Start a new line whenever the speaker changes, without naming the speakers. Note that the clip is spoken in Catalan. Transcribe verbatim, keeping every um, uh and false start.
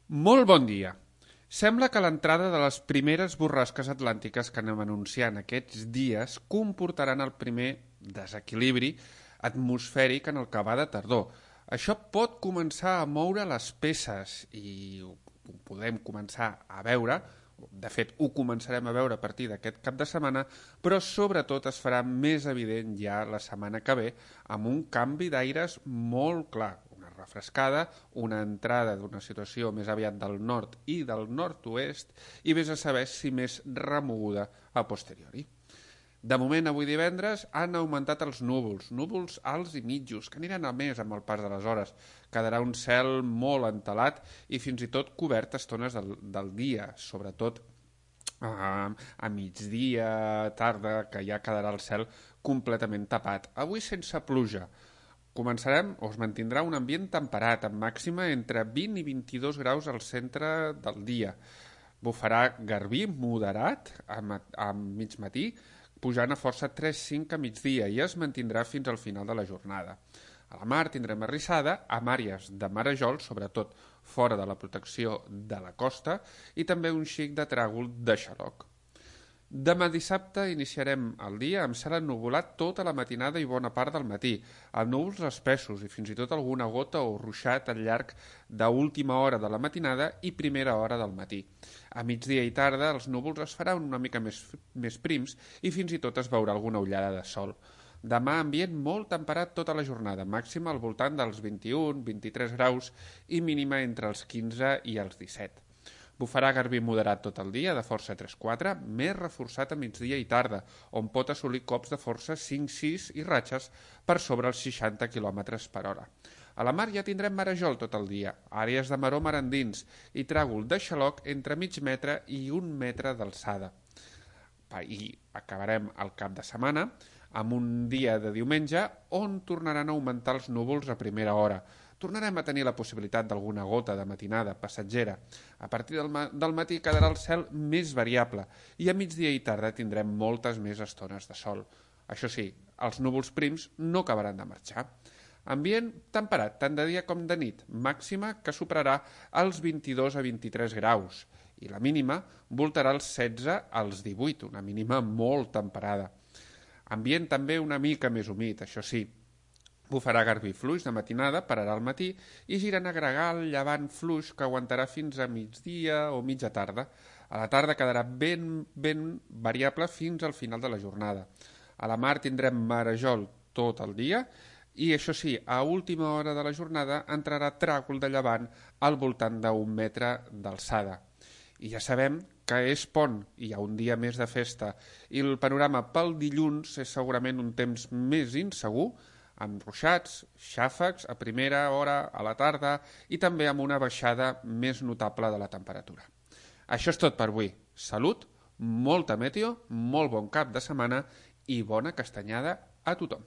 Molt bon dia. Sembla que l'entrada de les primeres borrasques atlàntiques que anem anunciant aquests dies comportaran el primer desequilibri atmosfèric en el que va de tardor. Això pot començar a moure les peces i ho podem començar a veure, de fet ho començarem a veure a partir d'aquest cap de setmana, però sobretot es farà més evident ja la setmana que ve amb un canvi d'aires molt clar, una refrescada, una entrada d'una situació més aviat del nord i del nord-oest i vés a saber si més remoguda a posteriori. De moment, avui divendres, han augmentat els núvols, núvols alts i mitjos, que aniran a més amb el pas de les hores. Quedarà un cel molt entelat i fins i tot cobert a estones del, del dia, sobretot a, a migdia, tarda, que ja quedarà el cel completament tapat. Avui sense pluja. Començarem, o es mantindrà un ambient temperat, amb màxima entre vint i vint-i-dos graus al centre del dia. Bufarà garbí moderat a, a mig matí, pujant a força tres coma cinc a migdia i es mantindrà fins al final de la jornada. A la mar tindrem arrissada amb àrees de marejol, sobretot fora de la protecció de la costa, i també un xic de tràgol de xaloc. Demà dissabte iniciarem el dia amb cel ennuvolat tota la matinada i bona part del matí, amb núvols espessos i fins i tot alguna gota o ruixat al llarg d'última hora de la matinada i primera hora del matí. A migdia i tarda els núvols es faran una mica més, més prims i fins i tot es veurà alguna ullada de sol. Demà ambient molt temperat tota la jornada, màxima al voltant dels vint-i-un a vint-i-tres graus i mínima entre els quinze i els disset. Bufarà garbí moderat tot el dia, de força tres quatre, més reforçat a migdia i tarda, on pot assolir cops de força cinc sis i ratxes per sobre els seixanta quilòmetres per hora. A la mar ja tindrem marejol tot el dia, àrees de maró mar endins i tràgol de xaloc entre mig metre i un metre d'alçada. I acabarem el cap de setmana amb un dia de diumenge on tornaran a augmentar els núvols a primera hora. Tornarem a tenir la possibilitat d'alguna gota de matinada passatgera. A partir del, ma del matí quedarà el cel més variable i a migdia i tarda tindrem moltes més estones de sol. Això sí, els núvols prims no acabaran de marxar. Ambient temperat, tant de dia com de nit, màxima que superarà els vint-i-dos a vint-i-tres graus i la mínima voltarà els setze als divuit, una mínima molt temperada. Ambient també una mica més humit, això sí. Bufarà garbí fluix de matinada, pararà al matí i girant a gregal llevant fluix que aguantarà fins a migdia o mitja tarda. A la tarda quedarà ben, ben variable fins al final de la jornada. A la mar tindrem marejol tot el dia i, això sí, a última hora de la jornada entrarà tràgol de llevant al voltant d'un metre d'alçada. I ja sabem que és pont, i hi ha un dia més de festa, i el panorama pel dilluns és segurament un temps més insegur, amb ruixats, xàfecs a primera hora, a la tarda i també amb una baixada més notable de la temperatura. Això és tot per avui. Salut, molta meteo, molt bon cap de setmana i bona castanyada a tothom.